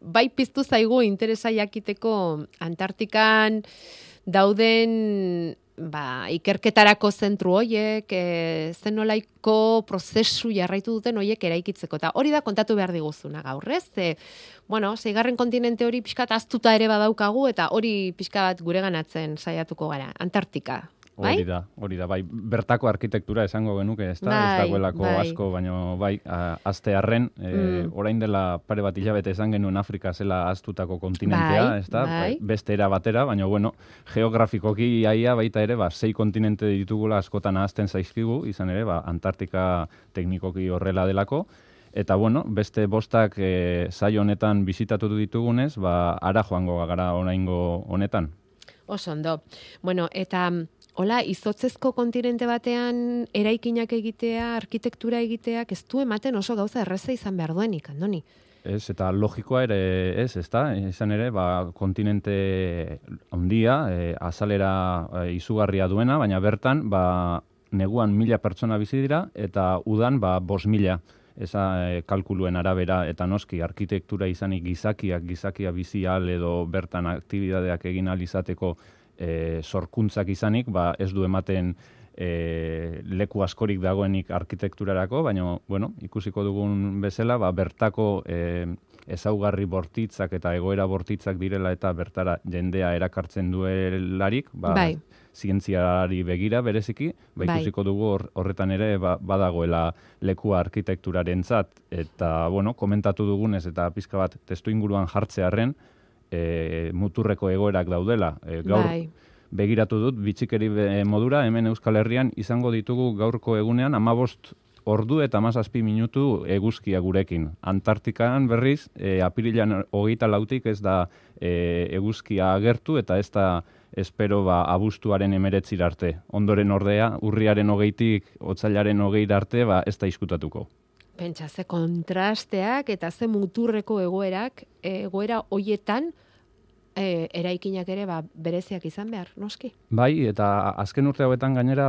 bai piztu zaigu interesa jakiteko Antartikan dauden ikerketarako zentru hoiek, zenolaiko prozesu jarraitu duten hoiek eraikitzeko. Eta hori da kontatu behar diguzuna gaur, ez? Seigarren kontinente hori pixkat aztuta ere badaukagu, eta hori pixkat gureganatzen saiatuko gara. Antartika. Hori da, bai. Bertako arkitektura esango genuke, ez da? Ez dagoelako asko, baina bai, aztearren, orain dela pare bat hilabete esan genuen Afrika zela aztutako kontinentea, ez da? Beste era batera, baina, geografikoki aia baita ere, 6 kontinente ditugula askotan ahazten zaizkigu, izan ere, Antartika teknikoki horrela delako, eta, beste bostak saio honetan bisitatu ditugunez, ara joango gara oraingo honetan. Oso ondo. Eta hola, izotzezko kontinente batean eraikinak egitea, arkitektura egiteak, ez du ematen oso gauza erreza izan behar duenik, Andoni? Ez, eta logikoa ere ez da? Izan ere, kontinente handia, azalera izugarria duena, baina bertan, neguan 1000 pertsona bizi dira, eta udan 5000. Eza kalkuluen arabera, eta noski, arkitektura izanik gizakia bizi ahal edo bertan aktibidadeak egin ahal izateko sorkuntzak izanik, ez du ematen leku askorik dagoenik arkitekturarako, baina, ikusiko dugun bezala, bertako ezaugarri bortitzak eta egoera bortitzak direla eta bertara jendea erakartzen duelarik, zientziari begira bereziki, ikusiko dugu horretan ere badagoela lekua arkitekturarentzat, eta, komentatu dugunez eta pizka bat testu inguruan jartzearren, muturreko egoerak daudela. Gaur begiratu dut, bitxikeri modura, hemen Euskal Herrian izango ditugu gaurko egunean 15 ordu eta 17 minutu eguzkia gurekin. Antartikan berriz, apirilan 24 ez da eguzkia agertu eta ez da espero abuztuaren 19 arte. Ondoren ordea, urriaren 20tik otsailaren 20 arte ez da izkutatuko. Pentsa, ze kontrasteak eta ze muturreko egoera hoietan eraikinak ere bereziak izan behar, noski? Bai, eta azken urte hauetan gainera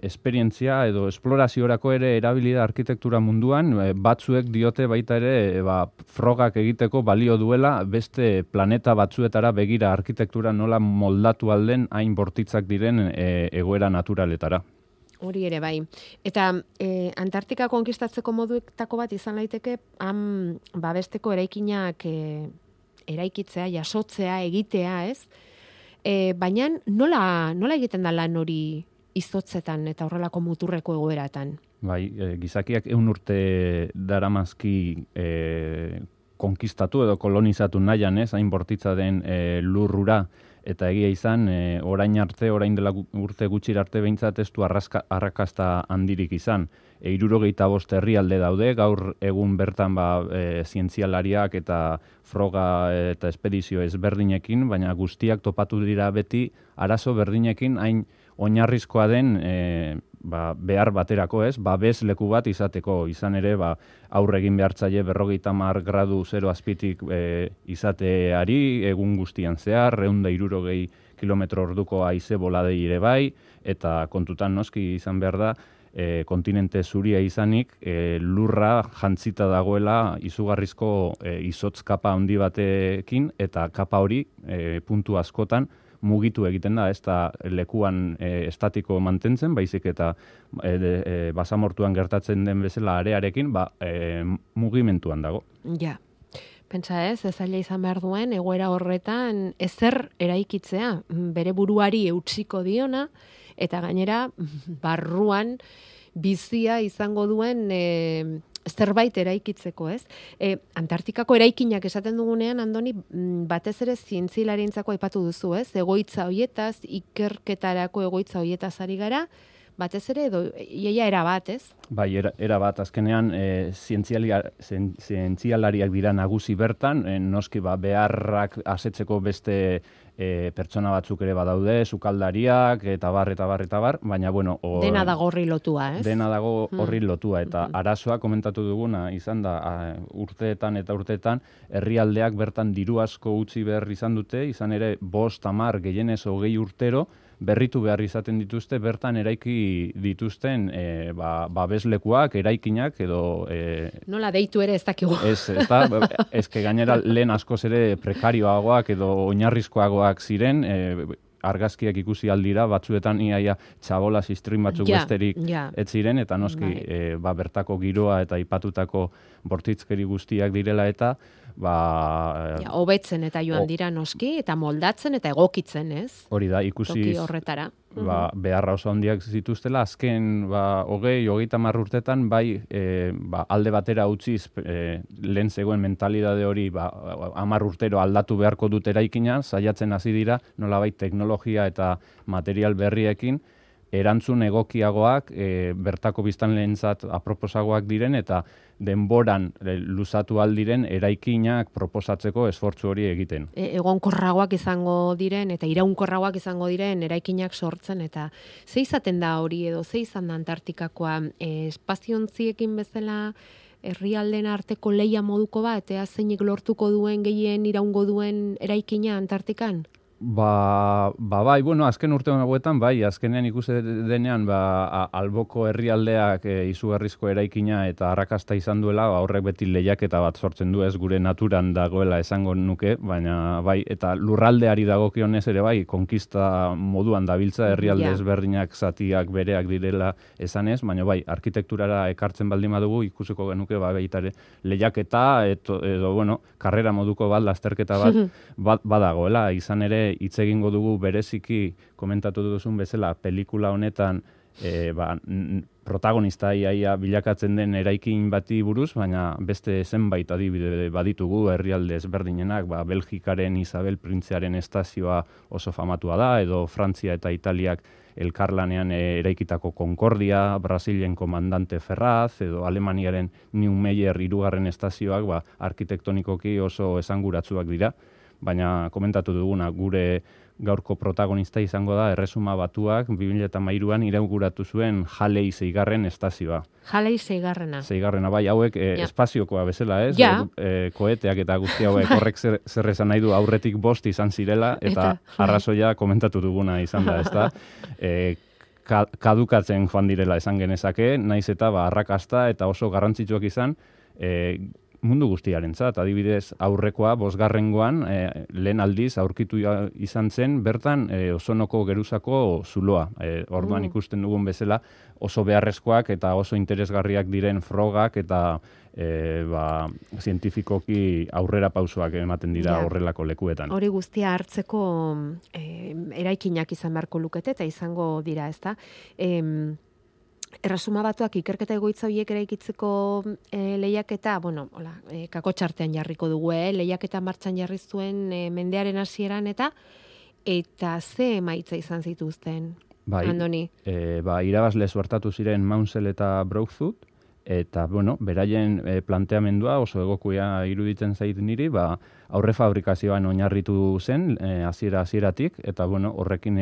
esperientzia edo esploraziorako ere erabilida arkitektura munduan, batzuek diote baita ere frogak egiteko balio duela beste planeta batzuetara begira arkitektura nola moldatu alden hain bortitzak diren egoera naturaletara. Hori ere bai. Eta Antartika konkistatzeko moduetako bat izan daiteke besteko eraikinak eraikitzea, jasotzea, egitea, ez? Baina nola egiten da lan hori izotzetan eta horrelako muturreko egoeratan? Bai, gizakiak 100 urte daramazki konkistatu edo kolonizatu nahian, ez? Hain bortitza den lurrura, eta egia izan, orain dela urte gutxir arte behintzat ez du arrakasta handirik izan. 75 herrialde daude, gaur egun bertan zientzialariak eta froga eta espedizio ezberdinekin, baina guztiak topatu dira beti arazo berdinekin hain oinarrizkoa den behar baterako, ez? Babes leku bat izateko, izan ere aurre egin behartzaile 50 gradu 0 azpitik izateari, egun guztian zehar, 160 km/orduko haize boladei ere bai, eta kontutan noski izan behar da, kontinente zuria izanik, lurra jantzita dagoela izugarrizko izotz kapa handi batekin, eta kapa hori puntu askotan mugitu egiten da, ez da lekuan estatiko mantentzen, baizik eta basamortuan gertatzen den bezala arearekin, mugimentuan dago. Ja, pentsa ez zaila izan behar duen, egoera horretan ezer eraikitzea, bere buruari eutsiko diona, eta gainera barruan bizia izango duen zerbait eraikitzeko, ez? Antartikako eraikinak esaten dugunean, Andoni, batez ere zientzialarientzako aipatu duzu, ez? Egoitza hoietaz, ikerketarako egoitza hoietaz ari gara, batez ere, edo iaia erabat, ez? Bai, erabat, azkenean zientzialariak dira nagusi bertan, noski beharrak asetzeko beste pertsona batzuk ere badaude, sukaldariak, eta bar, baina, dena dago horri lotua, ez? Dena dago horri lotua, eta arazoa komentatu duguna, izan da, urteetan, herrialdeak bertan diru asko utzi behar izan dute, izan ere 5, 10, gehienez 20 urtero, berritu behar izaten dituzte, bertan eraiki dituzten babeslekuak, eraikinak edo... Nola deitu ere ez dakigu. Ez gainera lehen askoz ere prekarioagoak edo oinarrizkoagoak ziren, argazkiak ikusi aldira, batzuetan iaia txabola sistrin batzuk besterik ez ziren, eta noski bertako giroa eta ipatutako bortitzkeri guztiak direla eta hobetzen eta joan dira noski, eta moldatzen eta egokitzen, ez? Hori da, ikusi horretara. Beharra oso handiak zituztela, azken 20-30 urtetan alde batera utziz lehen zegoen mentalidade hori 10 urtero aldatu beharko dut eraikina, saiatzen hasi dira nolabait teknologia eta material berriekin erantzun egokiagoak, bertako biztanleentzat aproposagoak diren eta denboran luzatu aldiren eraikinak proposatzeko esfortzu hori egiten. Egonkorragoak izango diren eta iraunkorragoak izango diren eraikinak sortzen eta ze izaten da hori edo ze izan da Antartikakoa, espaziontziekin bezala herrialden arteko leia moduko bat, eta zeinik lortuko duen gehien iraungo duen eraikina Antartikan? Bai, azken urte hauetan, azkenean ikusi denean, alboko herrialdeak izugarrizko eraikina eta arrakasta izan duela, horrek beti lehiaketa bat sortzen du, ez gure naturan dagoela esango nuke, baina eta lurraldeari dagokionez ere konkista moduan dabiltza herrialde ezberdinak zatiak bereak direla esanez, baina arkitekturara ekartzen baldin badugu ikusiko genuke baita ere lehiaketa edo karrera moduko bat lasterketa bat badagoela, izan ere hitz egingo dugu bereziki komentatu duzun bezala pelikula honetan protagonista iaia bilakatzen den eraikin bati buruz, baina beste zenbait adibide baditugu herrialde ezberdinenak, Belgikaren Isabel Printzearen estazioa oso famatua da, edo Frantzia eta Italiak elkarlanean eraikitako Concordia, Brasilen Komandante Ferraz, edo Alemaniaren Neumayer 3. estazioak arkitektonikoki oso esanguratsuak dira. Baina komentatu duguna, gure gaurko protagonista izango da Erresuma Batuak 2013an inauguratu zuen Halley 6. estazioa. Halley 6. Hauek espaziokoa bezala, ez? Koeteak eta guzti hauek horrek zer esan nahi du aurretik 5 izan zirela, eta arrazoia komentatu duguna izan da, ezta? Kadukatzen joan direla esan genezake, naiz eta arrakasta eta oso garrantzitsuak izan, mundu guztiarentzat, adibidez aurrekoa 5. Lehen aldiz aurkitu izan zen bertan Osonoko geruzako zuloa. Orduan ikusten dugun bezala oso beharrezkoak eta oso interesgarriak diren frogak eta zientifikoki aurrera pausoak ematen dira horrelako lekuetan. Hori guztia hartzeko eraikinak izan beharko lukete eta izango dira, ezta? Erresuma Batuak ikerketa egoitza horiek eraikitzeko lehiaketa, kakotxartean jarriko dugu, lehiaketa martxan jarri zuen mendearen hasieran eta ze emaitza izan zituzten, Andoni? Irabazle suertatu ziren Maunsell eta Brookfoot, eta, beraien planteamendua oso egokia iruditzen zait niri, aurre fabrikazioan oinarritu zen, hasieratik, eta, horrekin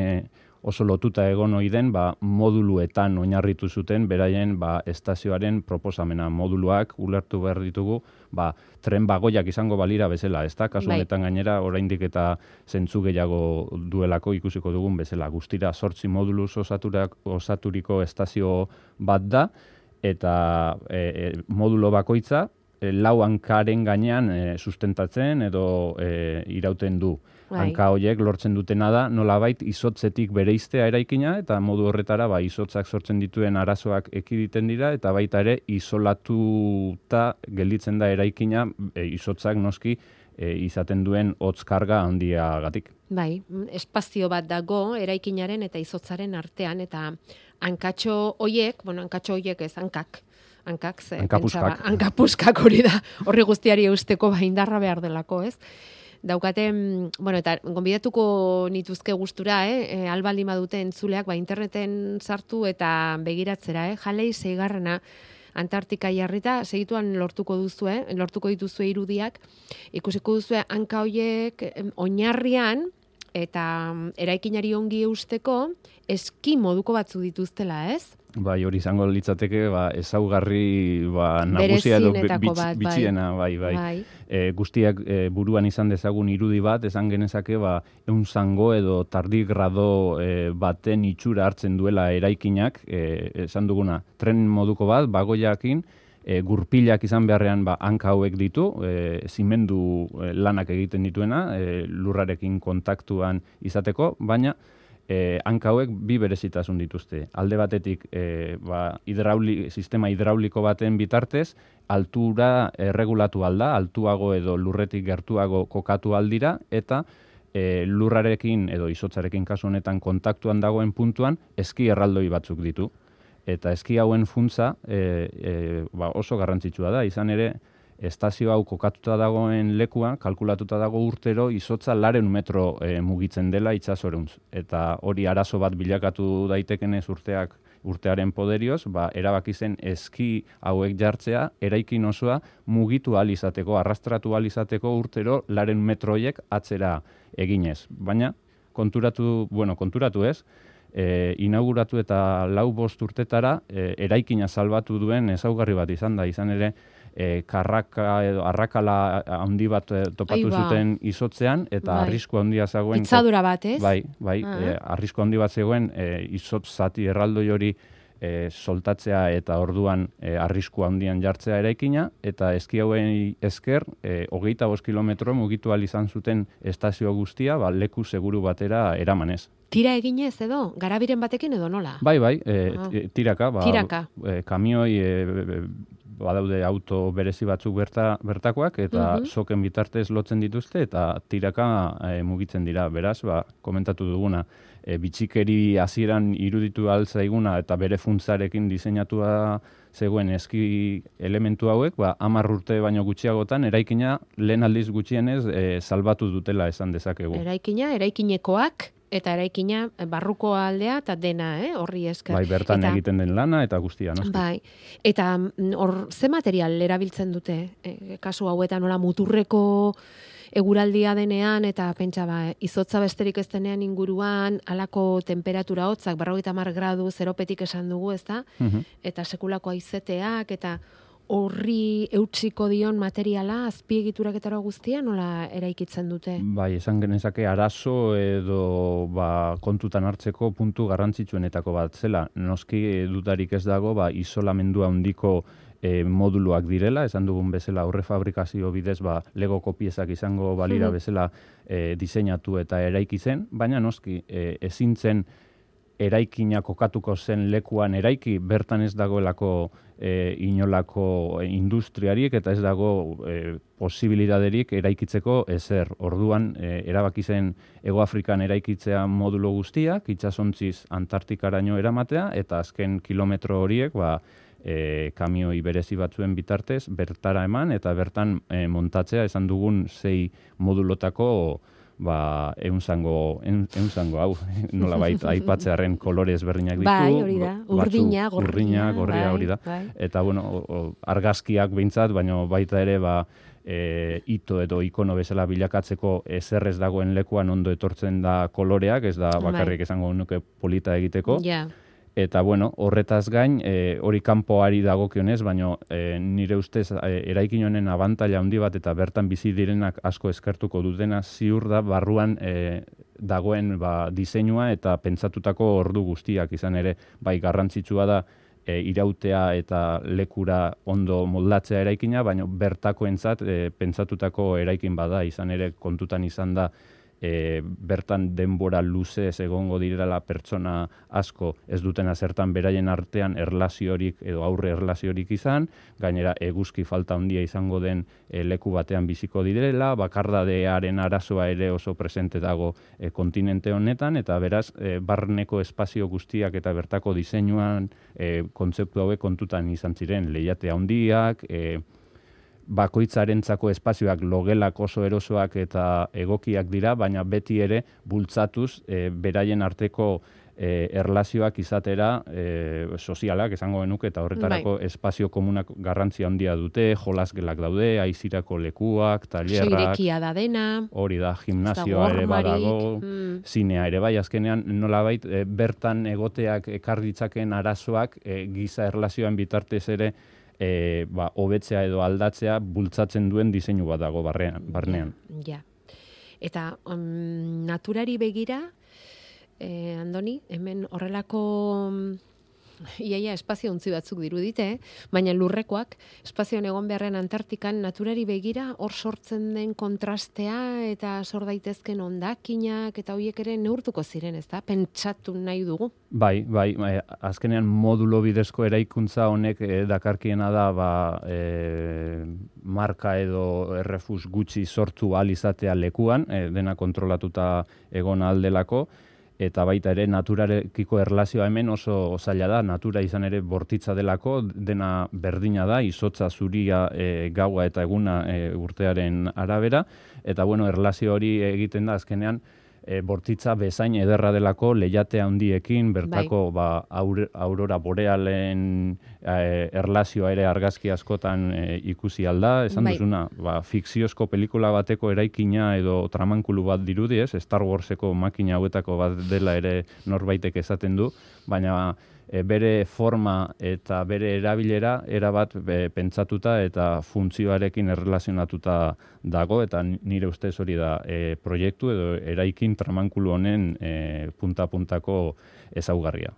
oso lotuta egon ohi den moduluetan oinarritu zuten beraien estazioaren proposamena. Moduluak ulertu behar ditugu tren bagoiak izango balira bezala, ezta? Kasu honetan gainera oraindik eta zentzu gehiago duelako ikusiko dugun bezala. Guztira 8 moduluz osaturiko estazio bat da, eta modulo bakoitza 4 hankaren gainean sustentatzen edo irauten du. Hanka horiek lortzen dutena da nolabait izotzetik bereiztea eraikina eta modu horretara izotzak sortzen dituen arazoak ekiditen dira eta baita ere isolatuta gelditzen da eraikina izotzak noski izaten duen hotz karga handiagatik. Espazio bat dago eraikinaren eta izotzaren artean eta hankatxo horiek ez, hankapuskak hori da, horri guztiari eusteko indarra behar delako, ez? Daukate, eta gonbidatuko nituzke gustura, albaldin badute entzuleak, interneten sartu eta begiratzera, Halley 6. Antartika jarrita, segituan lortuko dituzue irudiak, ikusiko duzue hanka horiek oinarrian, eta eraikinari ongi eusteko eski moduko batzu dituztela, ez? Bai, hori izango litzateke, ezaugarri nagusia edo bitxiena, bai. Guztiak buruan izan dezagun irudi bat, esan genezake, eun zango edo tardigrado baten itxura hartzen duela eraikinak, esan duguna, tren moduko bat, bagoiakin, gurpilak izan beharrean hanka hauek ditu, zimendu lanak egiten dituena, lurrarekin kontaktuan izateko, baina hanka hauek bi berezitasun dituzte. Alde batetik, sistema hidrauliko baten bitartez, altura erregulatu alda, altuago edo lurretik gertuago kokatu aldira, eta lurrarekin edo izotzarekin kasu honetan kontaktuan dagoen puntuan, eski erraldoi batzuk ditu. Eta eski hauen funtza oso garrantzitsua da, izan ere, estazio hau kokatuta dagoen lekuan, kalkulatuta dago urtero, izotza 200 metro mugitzen dela itsasoruntz. Eta hori arazo bat bilakatu daitekenez urtearen poderioz, erabaki zen eski hauek jartzea, eraikin osoa mugitu ahal izateko, arrastratu ahal izateko urtero 200 metroiek atzera eginez. Baina, konturatu ez, inauguratu eta 4-5 urtetara eraikina salbatu duen ezaugarri bat izan da, izan ere, arrakala handi bat topatu zuten izotzean, eta arrisku handia zegoen... Pitzadura bat, ez? Bai, arrisku handi bat zegoen izotz zati erraldoi hori soltatzea eta orduan arrisku handian jartzea eraikina, eta eski hauen esker 25 kilometro mugitu ahal izan zuten estazio guztia, leku seguru batera eramanez. Tira eginez edo? Garabiren batekin edo nola? Bai, tiraka. Tiraka. Kamioi badaude auto berezi batzuk bertakoak, eta soken bitartez lotzen dituzte, eta tiraka mugitzen dira. Beraz, komentatu duguna, bitxikeri hasieran iruditu altzaiguna eta bere funtzarekin diseinatua zegoen eski elementu hauek, 10 urte baino gutxiagotan, eraikina lehen aldiz gutxienez salbatu dutela esan dezakegu. Eraikinekoak, eta eraikina barruko aldea eta dena, horri esker. Bai, bertan egiten den lana eta guztia, noski. Bai, eta ze material erabiltzen dute? Kasu hauetan nola muturreko eguraldia denean, eta pentsa izotza besterik ez denean inguruan, halako temperatura hotzak, 50 gradu, zeropetik esan dugu, ez da? Eta sekulako haizeteak, eta horri eutsiko dion materiala, azpiegituraketara guztia, nola eraikitzen dute? Bai, esan genezake arazo edo kontutan hartzeko puntu garrantzitsuenetako bat zela. Noski dudarik ez dago, isolamendua handiko moduluak direla, esan dugun bezala aurre fabrikazio bidez legoko piezak izango balira bezala diseinatu eta eraikitzen, baina noski ezin zen eraikina kokatuko zen lekuan eraiki, bertan ez dagoelako inolako industriarik eta ez dago posibilitaterik eraikitzeko ezer. Orduan, erabaki zen Hego Afrikan eraikitzea modulo guztiak, itsasontziz Antartikaraino eramatea, eta azken kilometro horiek, kamioi berezi batzuen bitartez, bertara eman, eta bertan montatzea, esan dugun 6 modulotako eunzango hau, nolabait aipatzearen kolore ezberdinak ditu. Bai, hori da, urdina, gorria hori da. Eta, argazkiak behintzat, baina baita ere, ito edo ikono bezala bilakatzeko ezer ez dagoen lekuan ondo etortzen da koloreak, ez da bakarrik esango nuke polita egiteko. Eta, horretaz gain, hori kanpoari dagokionez, baina nire ustez eraikin honen abantaila handi bat eta bertan bizi direnak asko eskertuko dutena ziur da barruan dagoen diseinua eta pentsatutako ordu guztiak izan ere, garrantzitsua da irautea eta lekura ondo moldatzea eraikina, baina bertakoentzat pentsatutako eraikin bada, izan ere kontutan izan da bertan denbora luzez egongo direla pertsona asko ez dutena zertan beraien artean erlaziorik edo aurre erlaziorik izan, gainera eguzki falta handia izango den leku batean biziko direla, bakardadearen arazoa ere oso presente dago kontinente honetan, eta beraz barneko espazio guztiak eta bertako diseinuan kontzeptu hauek kontutan izan ziren, lehiate handiak, bakoitzarentzako espazioak logelak oso erosoak eta egokiak dira, baina beti ere bultzatuz beraien arteko erlazioak izatera sozialak esango genuke, eta horretarako espazio komunak garrantzia handia dute, jolasgelak daude, aizirako lekuak, tailerrak, irekia da dena, hori da, gimnasioa ere badago, zinea ere bai, azkenean nolabait bertan egoteak ekar ditzaken arazoak giza erlazioan bitartez ere hobetzea edo aldatzea bultzatzen duen diseinu bat dago barnean. Ja. Eta naturari begira, Andoni, hemen horrelako iaia espazio ontzi batzuk dirudite, baina lurrekoak, espazioan egon beharren Antartikan, naturari begira hor sortzen den kontrastea eta sor daitezken hondakinak eta horiek ere neurtuko ziren, ezta? Pentsatu nahi dugu. Bai, azkenean modulo bidezko eraikuntza honek dakarkiena da marka edo errefus gutxi sortu ahal izatea lekuan, dena kontrolatuta egon aldelako, eta baita ere naturarekiko erlazioa hemen oso zaila da, natura izan ere bortitza delako, dena berdina da, izotza, zuria, gaua eta eguna urtearen arabera, eta erlazio hori egiten da azkenean bortitza bezain ederra delako lehiatea handiekin, bertako aurora borealen erlazioa ere argazki askotan ikusi alda, esan duzuna, fikziozko pelikula bateko eraikina edo tramankulu bat dirudi, Star Warseko makina hauetako bat dela ere norbaitek esaten du, baina bere forma eta bere erabilera erabat pentsatuta eta funtzioarekin erlazionatuta dago, eta nire ustez hori da proiektu edo eraikin tramankulu honen punta-puntako ezaugarria.